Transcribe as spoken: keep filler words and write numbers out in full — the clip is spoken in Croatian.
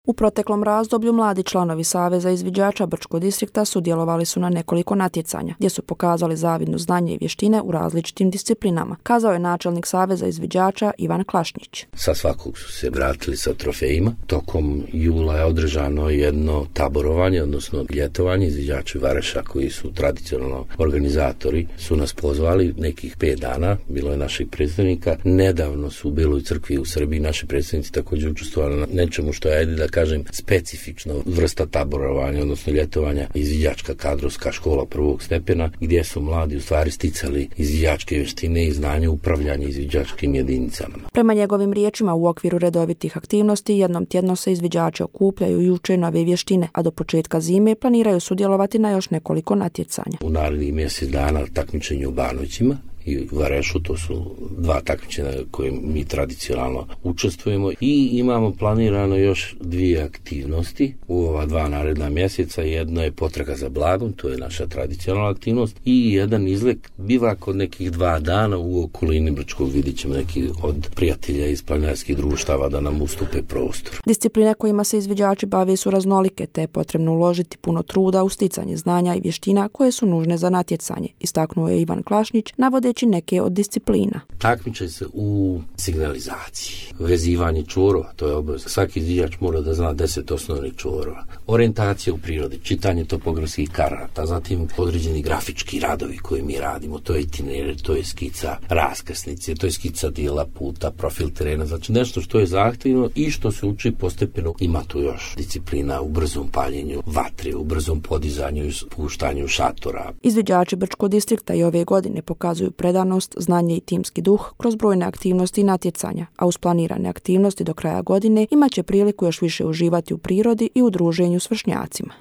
U proteklom razdoblju mladi članovi Saveza izviđača Brčkog distrikta sudjelovali su na nekoliko natjecanja, gdje su pokazali zavidno znanje i vještine u različitim disciplinama, kazao je načelnik Saveza izviđača Ivan Klašnić. Sa svakog su se vratili sa trofejima. Tokom jula je održano jedno taborovanje, odnosno ljetovanje. Izviđači Vareša, koji su tradicionalno organizatori, su nas pozvali nekih pet dana. Bilo je naših predstavnika. Nedavno su u Beloj crkvi u Srbiji naši predstavnici također učestvovali na nečemu što je, ajde da kažem, specifično vrsta taborovanja, odnosno ljetovanja, izviđačka kadrovska škola prvog stepena, gdje su mladi u stvari sticali izviđačke vještine i znanje upravljanja izviđačkim jedinicama. Prema njegovim riječima, u okviru redovitih aktivnosti jednom tjedno se izviđači okupljaju i uče nove vještine, a do početka zime planiraju sudjelovati na još nekoliko natjecanja. U narednih mjesec dana takmičenje u Banovićima i u Varešu, to su dva takmičenja koje mi tradicionalno učestvujemo, i imamo planirano još dvije aktivnosti u ova dva naredna mjeseca. Jedno je potraga za blagom, to je naša tradicionalna aktivnost, i jedan izlet bivak od nekih dva dana u okolini Brčkog. Vidjet ćemo neki od prijatelja iz planinarskih društava da nam ustupe prostor. Discipline kojima se izviđači bave su raznolike, te je potrebno uložiti puno truda u sticanje znanja i vještina koje su nužne za natjecanje, istaknuo je Ivan Klašnić, navodeći neke od disciplina. Takmiče se u signalizaciji, vezivanje čvorova, to je obavezno. Svaki izviđač mora da zna deset osnovnih čvorova. Orijentacija u prirodi, čitanje topografskih karata, zatim određeni grafički radovi koje mi radimo, to je itinerar, to je skica raskrsnice, to je skica dijela puta, profil terena, znači nešto što je zahtjevno i što se uči postepeno. Ima tu još disciplina u brzom paljenju vatre, u brzom podizanju i spuštanju šatora. Izviđači Brčkog distrikta i ove godine pokazuju predanost, znanje i timski duh kroz brojne aktivnosti i natjecanja, a uz planirane aktivnosti do kraja godine imaće priliku još više uživati u prirodi i u druženju s vršnjacima.